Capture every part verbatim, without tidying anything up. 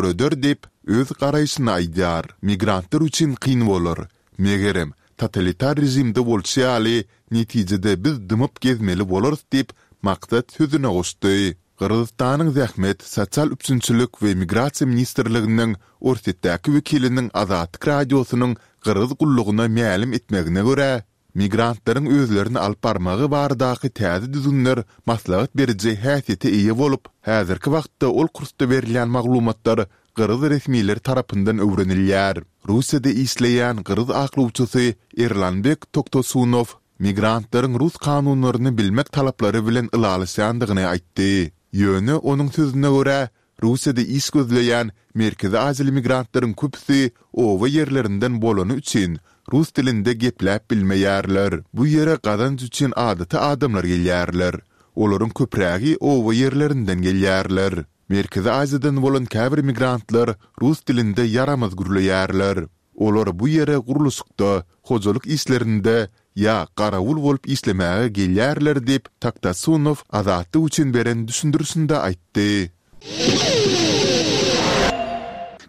döreder diýip, öz garaýşyny aýdýar. Migrantlar üçin kyn bolar. Megerem, totalitar režimde bolşy ýaly, netijede biz dymyp gezmeli bolarys diýip, Maksat sözüne goşdy. Gyrgyzystanyň Zähmet, sosial üpjünçilik we migrasiýa ministrliginiň Orsýetdäki wekiliniň Azatlyk Radiosynyň Gyrgyz gullugyna mälim etmegine görä, migrantlaryň özlerini alyp barmagy baradaky täze düzgünler maslahat beriji häsiýete eýe bolup, häzirki wagtda ol kursda berilýän maglumatlar gyrgyz resmileri tarapyndan öwrenilýär. Russiýada işleýän gyrgyz aklawçysy Erlanbek Toktosunow migrantlaryň rus kanunlaryny bilmek talaplary bilen ylalaşýandygyny aýtdy. Ýöne, onuň sözüne görä, Russiýada iş gözleýän Merkezi Aziýaly migrantlaryň köpüsi oba ýerlerinden bolany üçin, rus dilinde gepläp bilmeýärler. Bu ýere gazanç üçin adaty adamlar gelýärler. Olaryň köprägi oba ýerlerinden gelýärler. Merkezi Aziýadan bolan käbir migrantlar rus dilinde ýaramaz gürleýärler. Olar bu ýere gurluşykda, hojalyk işlerinde ýa garawul bolup işlemäge gelýärler diýip, Taktasunow Azatlyk üçin beren düşündirişinde aýtdy.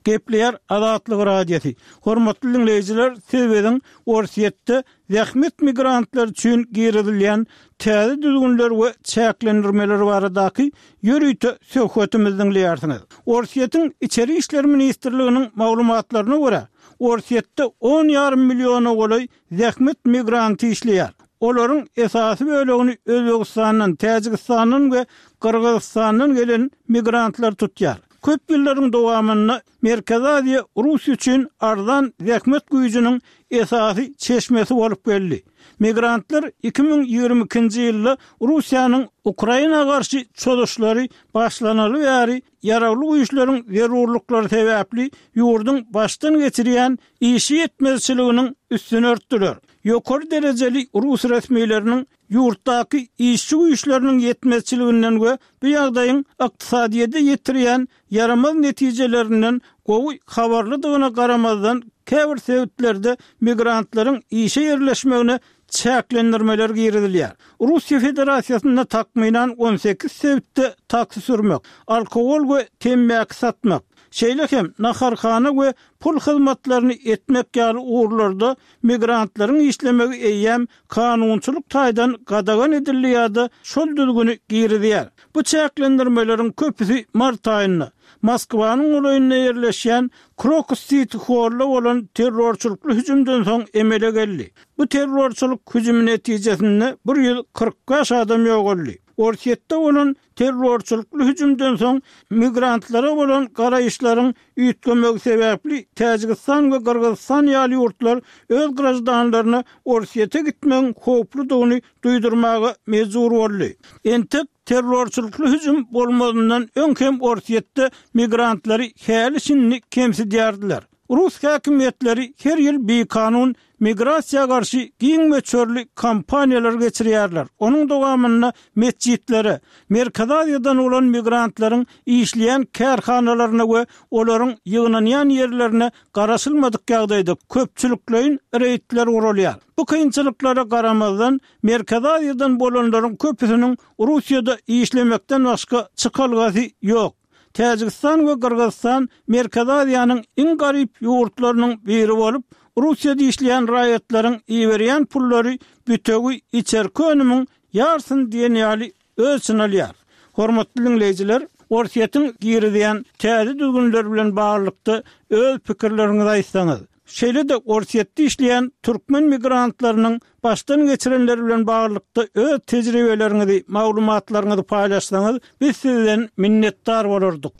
Gepleýär Azatlyk Radiosy. Hormatly diňleýjiler, siz biziň Orsýetde zähmet migrantlary üçin girizilýän täze düzgünler we çäklendirmeler baradaky ýörite söhbetimizi diňleýärsiňiz. Orsýetiň Içeri işler ministrliginiň maglumatlaryna görä, Orsýetde on ýarym milliona golaý zähmet migranty işleýär. Olaryň esasy bölegini Özbegistandan, Täjigistandan we Gyrgyzystandan gelen migrantlar tutýar. Köp ýyllaryň dowamynda Merkezi Aziýa Russiýa üçin arzan zähmet güýjüniň esasy çeşmesi bolup geldi. Migrantlar iki müň ýigrimi ikinji ýylda Russiýanyň Ukraina garşy çozuşlary başlanaly bäri ýaragly güýçleriň zerurlyklary sebäpli ýurduň başdan geçirýän işçi ýetmezçiliginiň üstüni örtdüler. Ýokary derejeli rus resmileriniň ýurtdaky işçi güýçleriniň ýetmezçiliginden we bu ýagdaýyň ykdysadyýete ýetirýän ýaramaz netijelerinden gowy habarlydygyna garamazdan, käbir sebitlerde migrantlaryň işe ýerleşmegine çäklendirmeler girizilýär. Russiýa Federasiýasynda takmynan on sekiz sebitde taksi sürmek, alkogol we temmäki satmak, şeýle hem naharhana we pul hyzmatlaryny etmek ýaly ugurlarda migrantlaryň işlemegi eýýäm kanunçylyk taýdan gadagan edildi ýa-da şol düzgüni girizýär. Bu çäklendirmeleriň köpüsi mart aýynda, Moskwanyň golaýynda ýerleşýän Krokus Siti Holla bolan terrorçylykly hüjümden soň emele geldi. Bu terrorçylyk hüjümi netijesinde bir ýüz kyrk bäş adam ýogaldy. Orsýetde bolan terrorçylykly hüjümden soň migrantlara bolan garaýyşlaryň üýtgemegi sebäpli Täjigistan we Gyrgyzystan ýaly ýurtlar öz graždanlaryna Orsýete gitmegiň howpludygyny duýdurmaga mejbur boldy. Entek terrorçylykly hüjüm bolmazyndan öň hem Orsýetde migrantlary häli-şindi kemsidýärdiler. Rus häkimiýetleri her ýyl bikanun migrasiýa garşy giň möçberli kampaniýalar geçirýärler. Onuň dowamynda metjitlere, Merkezi Aziýadan bolan migrantlaryň işleýän kärhanalaryna we olaryň ýygnanýan ýerlerine garaşylmadyk ýagdaýda köpçülikleýin reýdler guralýar. Bu kynçylyklara garamazdan, Merkezi Aziýadan bolanlaryň köpüsiniň Russiýada işlemekden başga çykalgasy ýok. Täjigistan we Gyrgyzystan Merkezi Aziýanyň iň garyp ýurtlarynyň biri bolup, Russiýada işleýän raýatlaryň iberýän pullary bütewi içerki önümiň ýarsyny diýen ýaly öz içine alýar. Hormatly diňleýjiler, Orsýetiň girizýän täze düzgünleri bilen baglylykda öz pikirleriňizi aýtsaňyz. Şeýle-de Orsýetde işleýän türkmen migrantlarynyň başdan geçirenleri bilen baglylykda öz tejribeleriňizi, maglumatlaryňyzy paýlaşsaňyz, biz sizden minnetdar bolardyk.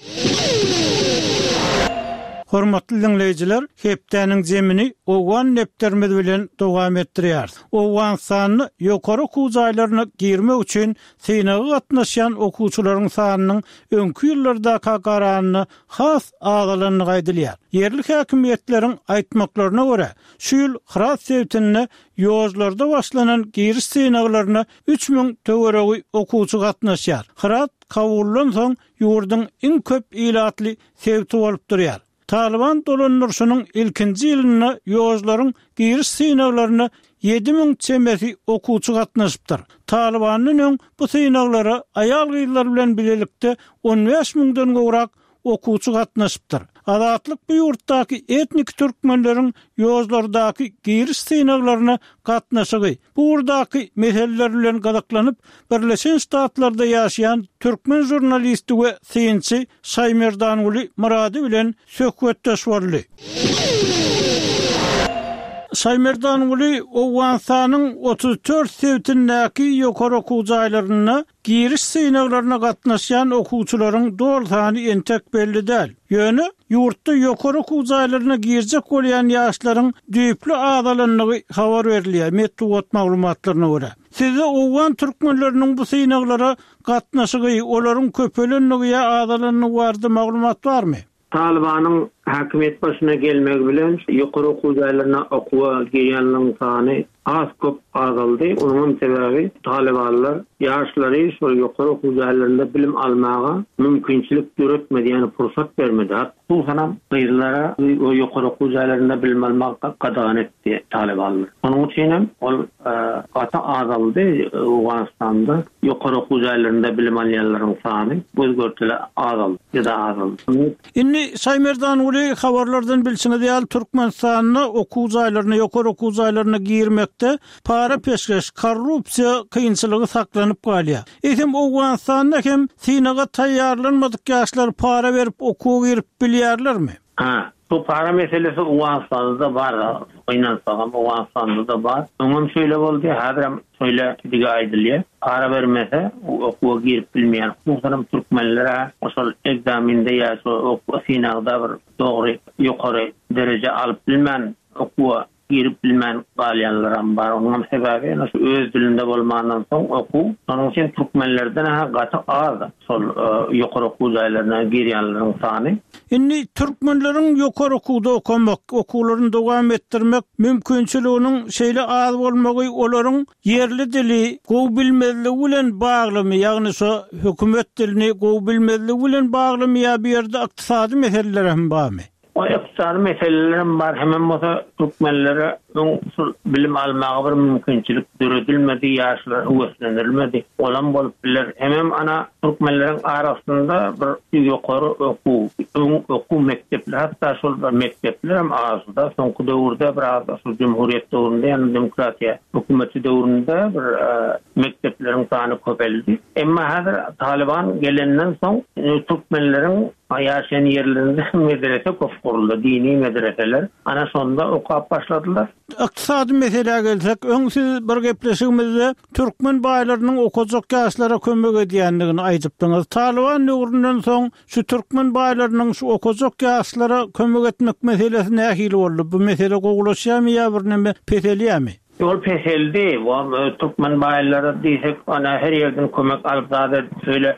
Hormatly diňleýjiler, hepdäniň jemini Owgan depderimiz bilen dowam etdirýäris. Owganystanda ýokary okuw jaýlaryna girmek üçin synaga gatnaşýan okuwçylaryň sanynyň öňki ýyllardaka garanda has azalandygy aýdylýar. Ýerli häkimiýetleriň aýtmaklaryna görä, şu ýyl Hyrat sebitinde ýožlarda başlanan giriş synaglaryna üç müň töweregi okuwçy gatnaşýar. Hyrat Kabuldan soň ýurduň iň köp ilatly sebiti bolup durýar. Talyban dolandyryşynyň ilkinji ýylynda ýožlaryň giriş synaglaryna ýedi müň çemesi okuwçy gatnaşypdyr. Talybandan öň bu synaglara aýal-gyzlar bilen bilelikde on bäş müňden gowrak okuwçy gatnaşypdyr. Azatlyk bu ýurtdaky etnik türkmenleriň ýozlardaky giriş synaglaryna gatnaşygy, bu ugurdaky meseleler bilen gyzyklanyp, Birleşen Ştatlarda ýaşaýan türkmen žurnalisti we synçy Şaýmerdanguly Myrady bilen söhbetdeş boldy. Şaýmerdanguly Owganystanyň otuz dört sebitindäki ýokary okuw jaýlarynda giriş synaglaryna gatnaşýan okuwçylaryň doly sany entek belli däl. Ýöne ýurtda ýokary okuw jaýlaryna girjek bolýan ýaşlaryň düýpli azalandygy habar berilýär, metbugat maglumatlaryna görä. Sizde owgan türkmenleriniň bu synaglara gatnaşygy, olaryň köpelenligi ýa azalanlygy barada maglumat barmy? Talybanyň häkimiýet başyna gelmegi bilen ýokary okuw jaýlaryna okuwa girýänleriň sany has köp azaldy. Onuň hem sebäbi talybanlar ýaşlary şol ýokary okuw jaýlarynda bilim almaga mümkinçilik döretmedi, ýagny pursat bermedi. Hususanam gyzlara ýokary okuw jaýlarynda bilim almagy gadagan etdi talybanlar. Şonuň üçin hem ol gaty azaldy Owganystanda ýokary okuw jaýlarynda bilim alýanlaryň sany göz-görtele azaldy, juda azaldy. Indi Şaýmerdanguly habarlardan bilşiňiz ýaly Türkmenistanda okuw jaýlaryna, ýokary okuw jaýlaryna girmekde para peşgeş, korrupsiýa kynçylygy saklanyp galýar. Eýsem Owganystanda hem synaga taýýarlanmadyk ýaşlar para berip okuwa girip bilýärlermi? Ha, bu para meselesi Owganystanda-da bar, gynansagam Owganystanda-da bar. Öňem şeýle boldy, häzirem şeýle digi aýdylýar. Para bermese okuwa girip bilmeýän, hususanam türkmenlere şol ekzamende ýa şo okuw synagda bir dogry ýokary dereje alyp bilmän okuwa girip bilmän galýanlaram bar. Onuň sebäbi ýene şu öz dilinde bolmandan soň okuw. Şonuň üçin türkmenlerden ha gaty az şol ýokary okuw jaýlaryna girýänleriň sany. Indi türkmenleriň ýokary okuwda okamak, okuwlaryny dowam etdirmek mümkinçiliginiň şeýle az bolmagy olaryň ýerli dili gowy bilmezligi bilen baglymy, ýagny şo hökümet dilini gowy bilmezligi bilen baglymy ýa bu ýerde ykdysady meseleler hem barmy? O ykdysady meseleler hem bar, hemem bolsa türkmenlere öň şol bilim almaga bir mümkinçilik döredilmedi, ýaşlar höweslendirilmedi. Olam bolup biler. Hemem ana türkmenleriň arasynda bir ýokary okuw, öň okuw mekdepler, hatda şol bir mekdepler hem azda. Soňky döwürde biraz şol cumhuriyet döwründe, ýagny demokratiýa hökümeti döwründe bir mekdepleriň sany köpeldi. Emma häzir Taliban gelenden soň türkmenleriň ýaşaýan ýerlerinde medrese köp guruldy, dini medreseler. Ana şonda okap başladylar. Ykdysady meselä gelsek, öň siz bir gepleşigimizde türkmen baýlarynyň okajak ýaşlara kömek edýändigini aýdypdyňyz. Taliban döwründen soň şu türkmen baýlarynyň şu okajak ýaşlara kömek etmek meselesi nähili boldy? Bu mesele gowulaşýarmy ýa bir näme peselýärmi? Ýol peseldi. Türkmen baýlary diýsek, ana her ýerden kömek alyp zat edip şeýle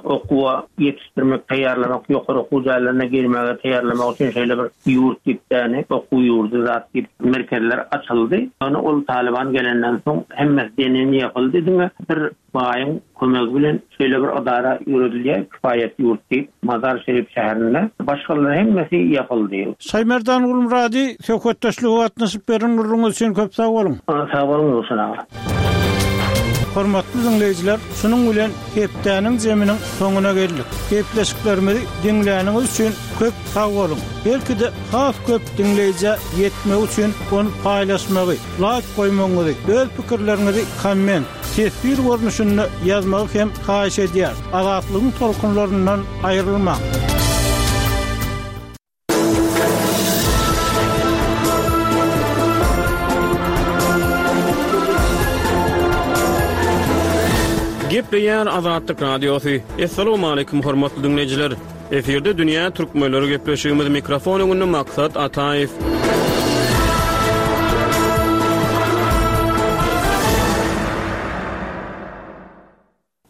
okuwa ýetişdirmek, taýýarlamak, ýokary okuw jaýlaryna girmäge taýýarlamak üçin şeýle bir ýurt diýip däni, okuw ýurdy zat diýip merkezler açyldy. Ýöne ol Taliban gelenden soň hemmesi deneýin ýapyldy. Diňe bir baýyň kömegi bilen şeýle bir edara ýöredilýär, kifaýet ýurt diýip, Mazar Şerif şäherinde. Başgalar hemmesi ýapyldy. Şaýmerdan Gulmurady söhbetdeşlige gatnaşyp beren gürrüňiz üçin köp sag boluň. Sag boluň Röwşen aga. Hormatly dinleýjiler, şunuň bilen hepdäniň zeminiň soňuna geldik. Gepleşiklerimizi diňläniňiz üçin köp sag boluň. Belki-de has köp dinleýjä ýetmek üçin ony paýlaşmagy, laýk goýmagyňyzy, öz pikirleriňizi komment, teswir görnüşinde ýazmagy hem haýyş edýär. Azatlygyň tolkunlaryndan aýrylmaň. Gepleýär Azatlyk Radiosy. Essalamu aleýkum hormatly dinleýjiler. Efirde Dünýä Türkmenleri gepleşigimiz mikrofon öňünde Maksat Ataýew.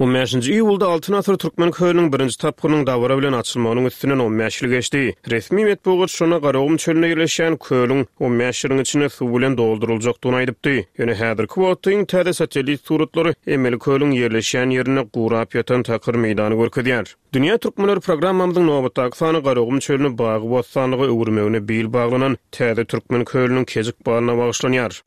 On bäşinji iýulda Altyn asyr Türkmen kölüniň birinji tapgyrynyň dabara bilen açylmagynyň üstünden on bäş ýyl geçdi. Resmi metbugat şonda Garagum çölünde ýerleşýän kölüň on bäş ýylyň içinde suw bilen dolduryljakdygyny aýdypdy. Ýöne häzirki wagtda iň täze satellit suratlary emeli kölüň ýerleşýän ýerinde gurap ýatan takyr meýdany görkezýär. Dünýä Türkmenleri programmamyzyň nobatdaky sany Garagum çölüni bagy-bossanlyga öwürmegine bil baglanan täze Türkmen kölüniň kejik balyna bagyşlanýar.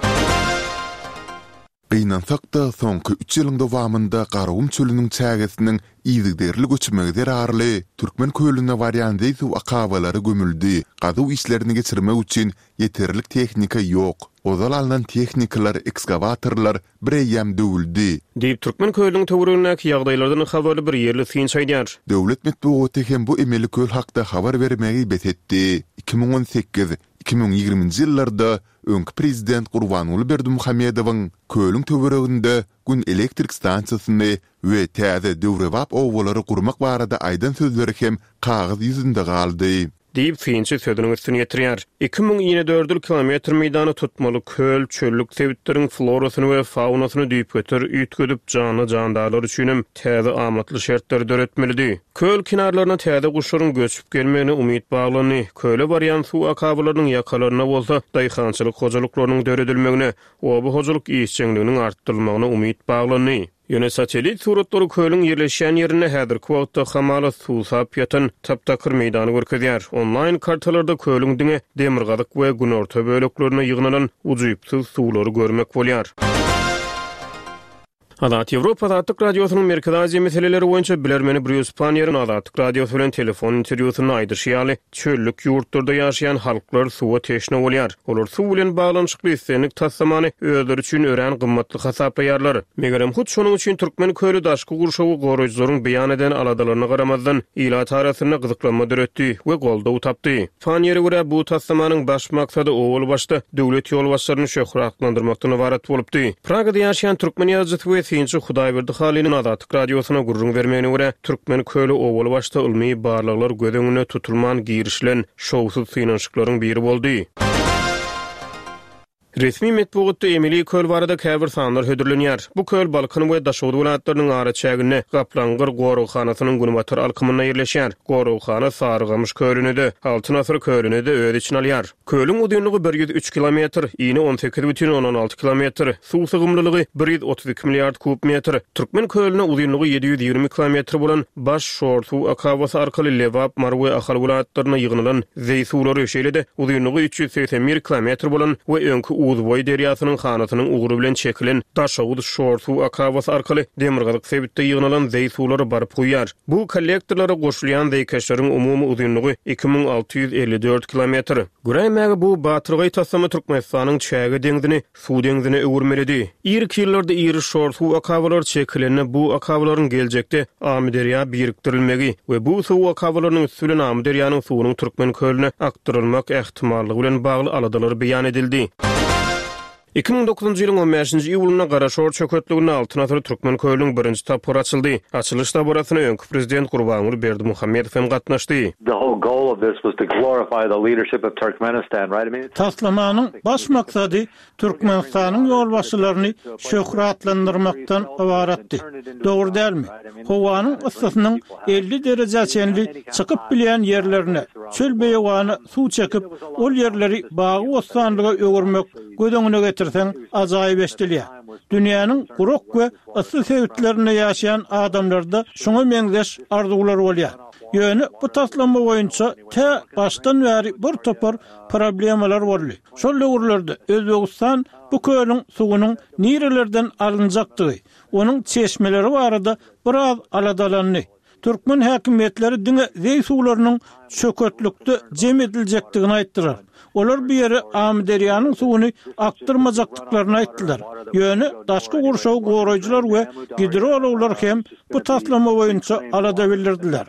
Gynansak-da, soňky üç ýylyň dowamynda Garagum çölüniň çägesiniň yzygiderli göçmegi zerarly, Türkmen kölüne barýan zeý suw akabalary gömüldi, gazuw işlerini geçirmek üçin ýeterlik tehnika ýok. Ozal alnan tehnikalar, ekskawatorlar bireýýäm döwüldi. Diýip, Türkmen kölüniň töweregindäki ýagdaýlardan habarly bir ýerli synçy aýdýar. Döwlet metbugaty hem bu emeli köl hakda habar bermegi bes etdi. Iki müň on sekiz, iki müň ýigriminji ýyllarda öňki prezident Gurbanguly Berdimuhamedowyň kölüň töwereginde Gün elektrik stansiýasyny we täze döwrebap obalary gurmak barada aýdan sözleri hem kagyz ýüzünde galdy. Diýip, synçy sözüniň üstüni ýetirýär. Iki müň inedördül kilometr meýdany tutmaly köl çöllük sebitleriň florasyny we faunasyny düýpgöter üýtgedip, janly-jandarlar üçinem täze amatly şertleri döretmelidi. Köl kenarlaryna täze guşlaryň göçüp gelmegine umyt baglandy. Köle barýan suw akabalarynyň ýakalarynda bolsa daýhançylyk hojalyklarynyň döredilmegine, oba hojalyk işjeňliginiň artdyrylmagyna umyt baglandy. Ýöne satellit suratlary kölüň ýerleşýän ýerinde häzirki wagtda hamala suwsap ýatan tap-takyr meýdany görkezýär. Onlaýn kartalarda kölüň diňe demirgazyk we günorta böleklerinde ýygnalan ujypsyz suwlary görmek bolýar. Azat Ýewropa Azatlyk Radiosynyň Merkezi Aziýa meseleleri boýunça bilermeni Brýus Panniýeriň Azatlyk Radiosy bilen telefon interwýusynda aýdyşy ýaly, çöllük ýurtlarda ýaşaýan halklar suwa teşne bolýar. Olar suw bilen baglanyşykly islendik taslamany özleri üçin örän gymmatly hasaplaýarlar. Megerem, hut şonuň üçin Türkmen köli daşky gurşawy goraýjylaryň beýan eden aladalaryna garamazdan, ilat arasynda gyzyklanma döretdi we goldaw tapdy. Panniýere görä, bu taslamanyň baş maksady owal başda döwlet ýolbaşçylaryny şöhratlandyrmakdan ybarat bolupdy. Pragada ýaşaýan türkmen ýazyjysy we synçy Hudaýberdi Halynyň Azatlyk Radiosyna gürrüň bermegine görä, Türkmen köli owal başda ylmy barlaglar göz öňünde tutulman girişilen şowsuz synanyşyklaryň biri boldy. Resmi metbugatda emeli köl barada käbir sanlar hödürlenýär. Bu köl Balkan we Daşoguz welaýatlarynyň araçäginde, Gaplaňgyr goraghanasynyň günbatar alkymynda ýerleşýär. Goraghana Sarygamyş kölüni-de, Altyn asyr kölüni-de öz içine alýar. Kölüň uzynlygy bir ýüz üç kilometr, ini on sekiz bütin ondan alty kilometr, suw sygymlylygy bir ýüz otuz iki milliard kub metr. Türkmen kölüne uzynlygy ýedi ýüz ýigrimi kilometr bolan Baş şor suw akabasy arkaly Lebap, Mary we Ahal welaýatlarynda ýygnalan zeý suwlary, şeýle-de uzynlygy üç ýüz segsen bir kilometr bolan we öňki Uzboý derýasynyň hanasynyň ugry bilen çekilen Daşoguz şor suw akabasy arkaly demirgazyk sebitde ýygnalan zeý suwlary baryp guýýar. Bu kollektorlara goşulýan zeýkeşleriň umumy uzynlygy iki müň alty ýüz elli dört kilometr. Göräýmäge bu batyrgaý taslama Türkmenistanyň çäge deňzini suw deňzine öwürmelidi. Irki ýyllarda iri şor suw akabalary çekilende bu akabalaryň geljekde Amyderýa birikdirilmegi we bu suw akabalarynyň üsti bilen Amyderýanyň suwunyň Türkmen kölüne akdyrylmak ähtimallygy bilen bagly aladalar beýan edildi. Iki müň dokuzynjy ýylyň on bäşinji iýulynda Garaşor çöketliginde Altyn asyr Türkmen kölüniň birinji tapgyry açyldy. Açylyş dabarasyna öňki prezident Gurbanguly Berdimuhamedow hem gatnaşdy. The whole goal of this was to glorify the leadership of Turkmenistan, right? I mean, Taslamanyň baş maksady Türkmenistanyň ýolbaşçylaryny şöhratlandyrmakdan ybaratdy. Dogry dälmi? Howanyň yssysynyň elli derejä çenli çykyp bilýän ýerlerine, çöl-beýewana suw çekip, ol ýerleri bagy-bossanlyga öwürmek göz öňüne getirseň ajaýyp eşidilýär. Dünýäniň gurak we yssy sebitlerinde ýaşaýan adamlarda şuňa meňzeş arzuwlar bolýar. Ýöne bu taslama boýunça tä başdan bäri bir topar problemalar boldy. Şol döwürlerde Özbegistan bu kölüň suwunyň nirelerden alynjakdygy, onuň çeşmeleri barada biraz aladalandy. Türkmen häkimiýetleri diňe zeý suwlarynyň çöketlikde jem ediljekdigini aýtdylar. Olar bu ýere Amyderýanyň suwuny akdyrmajakdyklaryny aýtdylar. Ýöne daşky gurşawy goraýjylar we gidrologlar hem bu taslama boýunça alada bildirdiler.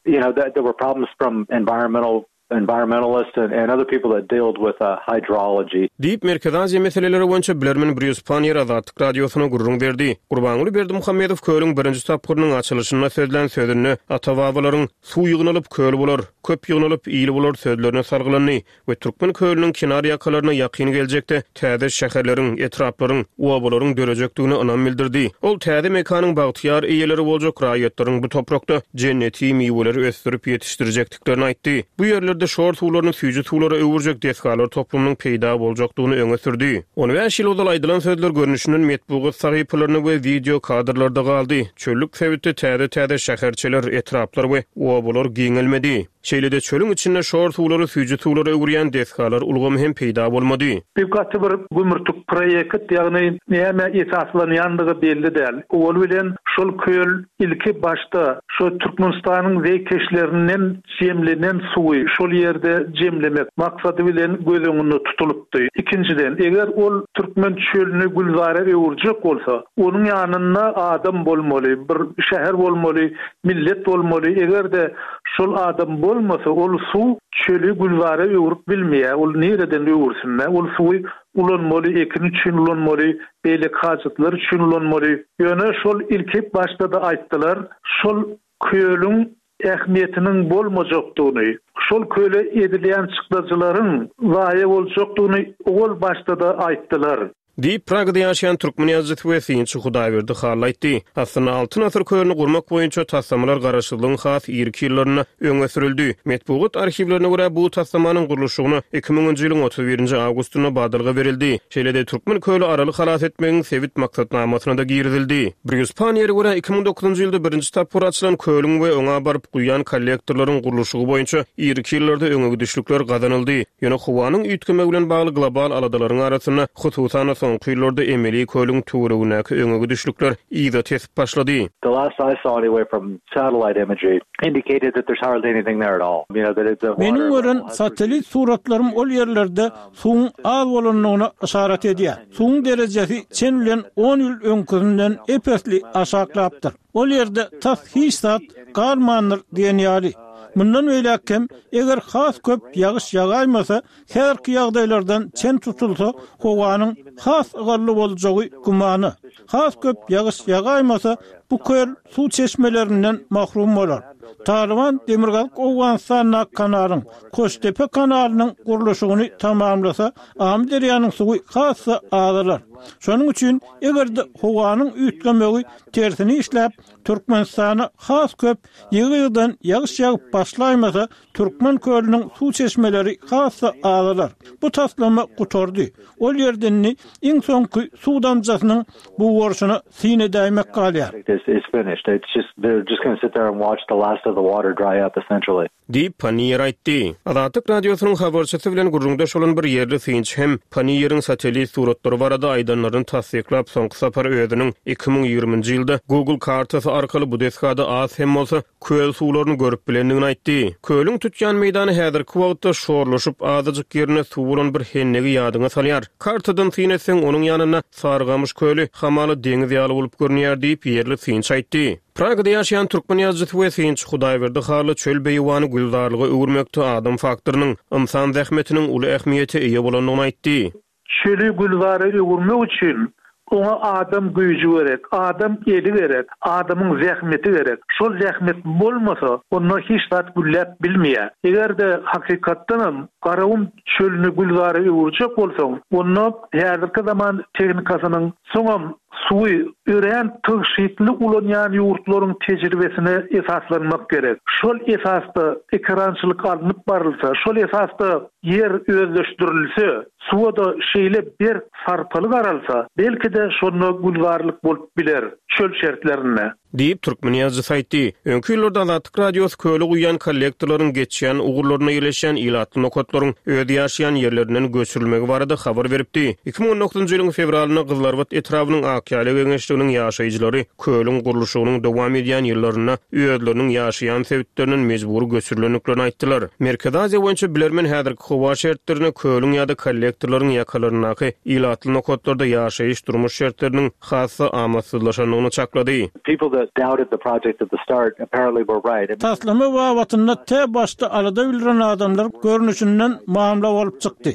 You know, there were problems from environmental environmentalists and, and other people that dealt with uh, hydrology. Diýip, Merkezi Aziýa meseleleri boýunça bilermen Brýus Panniýer Azatlyk Radiosyna gürrüň berdi. Gurbanguly Berdimuhamedow kölüň birinji tapgyrynyň açylyşynda sözlän sözünde ata-babalaryň Suw ýygnalyp, köl bolar, köp ýygnalyp, il bolar sözlerine salgylandy we Türkmen kölüniň kenar ýakalaryna ýakyn geljekde täze şäherleriň, etraplaryň, obalaryň dörejekdigine ynam bildirdi. Ol täze mekanyň bagtyýar eýeleri boljak raýatlaryň bu toprakda jenneti miweleri ösdürip ýetişdirjekdiklerini aýtdy. Bu ýerlerde şor suwlaryny süýji suwlara öwürjek desgalar toplumynyň peýda boljakdygyny öňe sürdi. On bäş ýyl ozal aýdylan sözler görnüşinden metbugat sahypalarynda we wideo kadrlarda galdy. Çöllük sebitde täze-täze şäherçeler, etraplar we obalar giňelmedi. Şeýle-de çölüň içinde şor suwlary süýji suwlara öwürýän desgalar ulgamy hem peýda bolmady. Bu gaty bir gümürtik proýekt, ýagny näme esaslanýandygy belli däl. Owal bilen şol köl ilki başda şo Türkmenistanyň zeýkeşlerinden jemlenen suwy şol ýerde jemlemek maksady bilen göz öňünde tutulypdy. Ikinjiden, eger ol türkmen çölüni gülzara öwürjek bolsa, onuň ýanynda adam bolmaly, bir şäher bolmaly, millet bolmaly. Eger-de şol adam bolmasa, ol suw çöli gülzara öwürip bilmeýär. Ol nireden öwürsün? Ol suwy ulanmaly, ekin üçin ulanmaly, beýleki hajatlar üçin ulanmaly. Ýöne şol ilki başda-da aýtdylar, şol kölüň ähmiýetiniň bolmajakdygyny, şol köle edilýän çykdajylaryň zaýa boljakdygyny owal başda-da aýtdylar. Diýip, Pragada ýaşaýan türkmen ýazyjysy we synçy Hudaýberdi Hally aýtdy. Aslynda Altyn asyr kölüni gurmak boýunça taslamalar garaşsyzlygyň has irki ýyllarynda öňe sürüldi. Metbugat arhiwlerine görä, bu taslamanyň gurluşygyna iki müňünji ýylyň otuz birinji awgustynda badalga berildi. Şeýle-de Türkmen köli Araly halas etmegiň sebit maksatnamasyna-da girizildi. Brýus Panniýere görä, iki müň dokuzynjy ýylda birinji tapgyr açylan kölüň we oňa baryp guýýan kollektorlaryň gurluşygy boýunça irki ýyllarda öňegidişlikler gazanyldy. Ýöne howanyň üýtgemegi bilen bagly global aladalaryň arasynda, hususan-da soňky ýyllarda emeli kölüň töweregindäki öňegidişlikler yza tesip başlady. The last I saw anyway from satellite imagery indicated that there's hardly anything there at all. You know, that it's a Meniň gören satellit suratlarym ol ýerlerde suwuň az bolandygyna yşarat edýär. Suwuň derejesi çen bilen on ýyl öňküsinden ep-esli aşaklapdyr. Ol ýerde tas hiç zat galmandyr diýen ýaly. Mundan beýläk hem eger has köp ýagyş ýagaýmasa, häzirki ýagdaýlardan çen tutulsa, howanyň has ygally boljagy gümana. Has köp ýagyş ýagaýmasa, bu köl suw çeşmelerinden mahrum bolar. Talyban Demirgazyk Owganystandaky kanalyň, Koştepe kanalynyň gurluşygyny tamamlasa, Amyderýanyň suwy has-da azalar. Şonuň üçin eger-de howanyň üýtgemegi tersini işläp, Türkmenistana has köp ýygy-ýygydan ýagyş ýagyp başlaýmasa, Türkmen kölüniň suw çeşmeleri has-da azalar. Bu taslama gutardy. Ol ýerde indi iň soňky suw damjasynyň bugarşyna syn edäýmek galýar. It's, it's finished. It's just, they're just gonna sit there and watch the last of the water dry up essentially. Diýip, Panniýer aýtdy. Azatlyk Radiosynyň habarçysy bilen gürrüňdeş bolan bir ýerli synçy hem Panniýeriň satellit suratlary barada aýdanlaryny tassyklap, soňky sapar özüniň iki müň ýigriminji ýylda Google kartasy arkaly bu desgada az hem bolsa köl suwlaryny görüp bilendigini aýtdy. Kölüň tutýan meýdany häzirki wagtda şorlaşyp azajyk ýerine suw bolan bir hennegi ýadyňa salýar. Kartadan syn etseň, onuň ýanynda Sarygamyş köli hamaly deňiz ýaly bolup görünýär diýip, ýerli synçy aýtdy. Pragada ýaşaýan türkmen ýazyjysy we synçy Hudaýberdi Hally çöl beýewany gülzarlyga öwürmekde adam faktorynyň, ynsan zähmetiniň uly ähmiýete eýe bolandygyny aýtdy. Çöli gülzara öwürmek üçin oňa adam güýji gerek, adam eli gerek, adamyň zähmeti gerek. Şol zähmet bolmasa, onda hiç zat gülläp bilmeýär. Eger-de hakykatdanam Garagum çölüni gülzara öwürjek bolsaň, onda häzirki zaman tehnikasynyň soňam suwy örän tygşytly ulanýan ýurtlaryň tejribesine esaslanmak gerek. Şol esasda ekerançylyk alnyp barylsa, şol esasda ýer özleşdirilse, suwa da şeýle berk sarpaly garalsa, belki-de şonda gülzarlyk bolup biler çöl şertlerinde. Diýip, türkmen ýazyjysy aýtdy. Öňki ýyllarda Azatlyk Radiosy köle guýýan kollektorlaryň geçýän ugurlaryna ýerleşýän ilatly nokatlaryň öz ýaşaýan ýerlerinden göçürilmegi barada habar beripdi. Iki müň on dokuzynjy ýylyň fewralynda Gyzylarbat etrabynyň Akýaly geňeşliginiň ýaşaýjylary kölüň gurluşygynyň dowam edýän ýyllarynda özleriniň ýaşaýan sebitlerinden mejbury göçürilendiklerini aýtdylar. Merkezi Aziýa boýunça bilermen häzirki howa şertlerine kölüň ýa-da kollektorlaryň ýakalaryndaky ilatly nokatlarda ýaşaýyş durmuş şertleriniň has-da amatsyzlaşandygyny çaklady. People that doubted the project at the start apparently were right. Taslama babatynda te başda alada bildiren adamlar görnüşinden mamla bolup çykdy.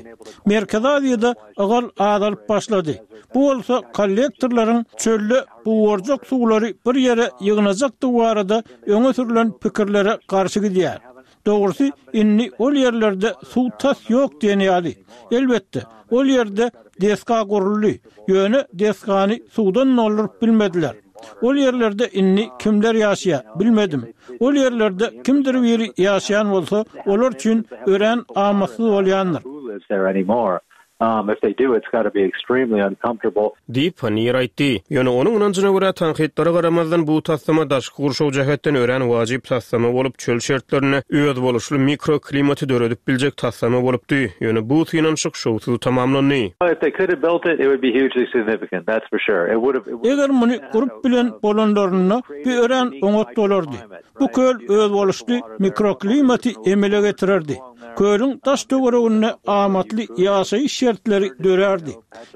Merkezi Aziýada ygal azalyp başlady. Bu bolsa kollektorlaryň çölde bugarjak suwlary bir ýere ýygnajakdygy barada öňe sürülen pikirlere garşy gidýär. Dogrusy, indi ol ýerlerde suw tas ýok diýen ýaly. Elbetde, ol ýerde desga guruldy. Ýöne desgany suwdan dolduryp bilmediler. Ol ýerlerde indi kimler ýaşaýar, bilmedim. Ol ýerlerde kimdir biri ýaşaýan bolsa, olar üçin örän amatsyz bolýandyr. Who lives there anymore? Um, if they do, it's got to be extremely uncomfortable. Diýip, Panniýer aýtdy. Ýöne onuň ynanjyna görä, tankytlara garamazdan, bu taslama daşky gurşaw jähetden örän wajyp taslama bolup, çöl şertlerinde özboluşly mikroklimaty döredip biljek taslama bolupdy. Ýöne bu synanyşyk şowsuz tamamlandy. If they could have built it, it would be hugely significant, that's for sure. It would have, Eger muny gurup bilen bolanlarynda bu örän oňat bolardy. Bu köl özboluşly mikroklimaty emele getirerdi. Kölüň daş töwereginde amatly ýaşaýyş şertleri dörärdi.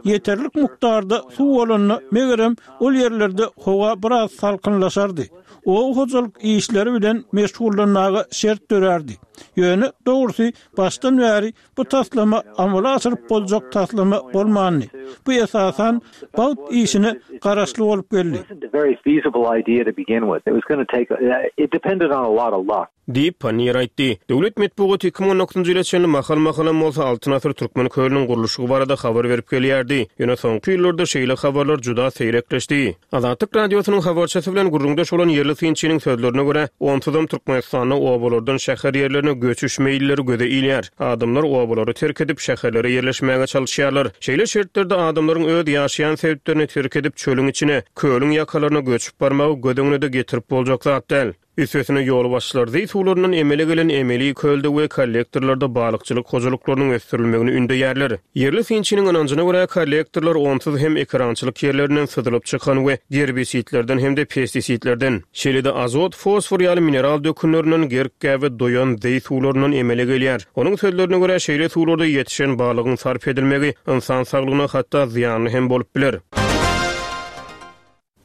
Ýeterlik mukdarda suw bolanda megerem ol ýerlerde howa biraz salkynlaşardy. Oba hojalyk işleri bilen meşgullanmaga şert dörärdi. Ýöne dogrusy başdan bäri bu taslama amala aşyryp boljak taslama bolmandy. Bu esasan bagt işine garaşly bolup geldi. It wasn't a very feasible idea to begin with. It was going to take, it depended on a lot of luck. Diýip, Panniýer aýtdy. Döwlet metbugaty iki müň on dokuzynjy ýyla çenli mahal-mahalam bolsa Altyn asyr türkmen kölüniň gurluşygy barada habar berip gelýärdi. Ýöne soňky ýyllarda şeýle habarlar juda seýrekleşdi. Azatlyk Radiosynyň habarçysy bilen gürrüňdeş bolan ýerli synçynyň sözlerine görä, onsuzam Türkmenistanda obalardan şäher ýerlerine göçüş meýilleri göze ilýär. Adamlar obalary terk edip şäherlere ýerleşmäge çalyşýarlar. Şeýle şertlerde adamlaryň öz ýaşaýan sebitlerini terk edip çölüň içine, kölüň ýakalaryna göçüp barmagy göz öňüne-de getirip boljak zat däl. Üstesine ýolbaşçylar zeý suwlaryndan emele gelen emeli kölde we kollektorlarda balykçylyk hojalyklarynyň ösdürilmegini ündeýärler. Ýerli synçynyň ynanjyna görä, kollektorlar onsuz hem ekerançylyk ýerlerinden syzylyp çykan we gerbisitlerden hem-de pestisitlerden, şeýle-de azot, fosfor ýaly mineral dökünlerinden gerk-gäbe doýan zeý suwlaryndan emele gelýär. Onuň sözlerine görä, şeýle suwlarda ýetişen balygyň sarp edilmegi ynsan saglygyna hatda zyýanly hem bolup biler.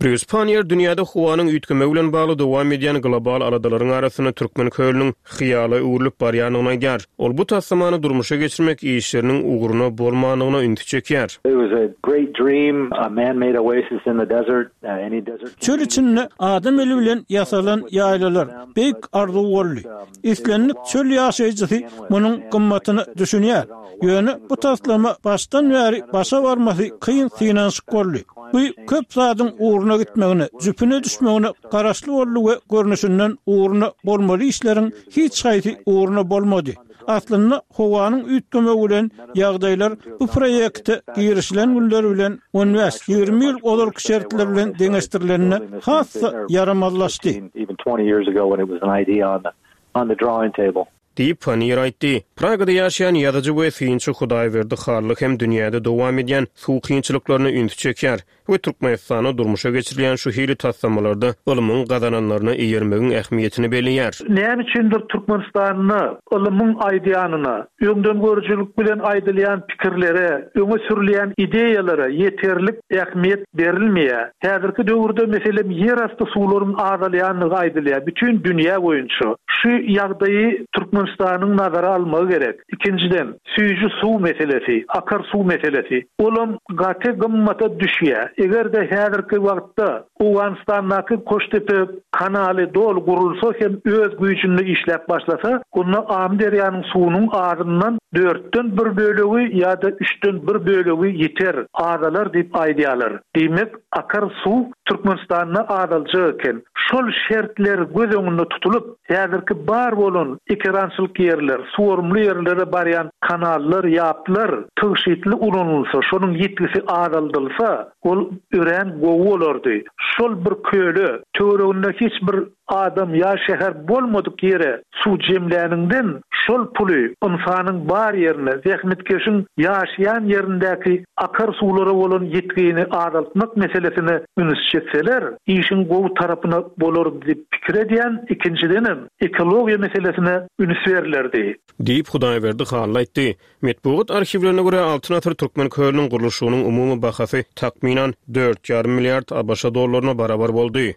Brýus Panniýer dünýäde howanyň üýtgemegi bilen bagly dowam edýän global aladalaryň arasynda türkmen kölüniň hyýala öwrülip barýandygyny aýdýar. Ol bu taslamany durmuşa geçirmek işleriniň ugruna bolmandygyna ünsi çekýär. It was a great dream, a man-made oasis in the desert, uh, any desert Çöl içinde adam eli bilen ýasalan ýaýlalar beýik arzuw boldy. Islendik çöl ýaşaýjysy munuň gymmatyny düşünýär. Ýöne bu taslama başdan bäri başa barmasy kyn synanyşyk boldy. Bu köp zadyň ugruna gitmegine, jüpüne düşmegine garaşly boldy we görnüşinden ugruna bolmaly işleriň hiç haýsy ugruna bolmady. Aslynda howanyň üýtgemegi bilen ýagdaýlar bu proýekte girişilen günler bilen on bäş ýigrimi ýyl ozalky şertler bilen deňeşdirilende has-da ýaramazlaşdy. Even twenty years ago when it was an idea on the, on the drawing table. Diýip, Panniýer aýtdy. Pragada ýaşaýan ýazyjy we synçy Hudaýberdi Hally hem dünýäde dowam edýän suw kynçylyklaryna ünsi çekýär we Türkmenistanda durmuşa geçirilýän şu hili taslamalarda ylmyň gazananlaryna eýermegiň ähmiýetini belleýär. Näme üçindir Türkmenistanda ylmyň aýdýanyna, öňden görüjilik bilen aýdylýan pikirlere, öňe sürülýän ideýalara ýeterlik ähmiýet berilmeýär. Häzirki döwürde meselem ýerasty suwlaryň azalýandygy aýdylýar bütün dünýä boýunça. Şu ýagdaýy Türkmenistanyň nazara almagy gerek. Ikinjiden, süýji suw meselesi, akar suw meselesi. Olam gaty gymmata düşýär. Eger-de häzirki wagtda Owganystandaky Koştepe kanaly doly gurulsa hem öz güýjünde işläp başlasa, onda Amyderýanyň suwunyň azyndan dörtden bir bölegi ýa-da üçden bir bölegi ýeter, azalar diýip aýdýarlar. Diýmek, akar suw Türkmenistanda azaljak eken. Şol şertler göz öňünde tutulyp, häzirki bar bolan ekerançylyk ýerler, suwarymly ýerlere barýan kanallar, ýaplar tygşytly ulanylsa, şonuň ýetgisi azaldylsa, ol örän gowy bolardy. Şol bir köle, töwereginde hiç bir adam ýa şäher bolmadyk ýere suw jemläninden şol puly ynsanyň bar ýerine, zähmetkeşiň ýaşaýan ýerindäki akar suwlara bolan ýetgini azaltmak meselesine üns çekseler, işiň gowy tarapyna bolar diýip pikir edýän, ikinjidenem ekologiýa meselesine üns berilerdi. Diýip Hudaýberdi Hally aýtdy. Metbugat arhiwlerine görä Altyn asyr türkmen kölüniň gurluşygynyň umumy bahasy takmynan dört ýarym milliard ABŞ dollaryna barabar boldy.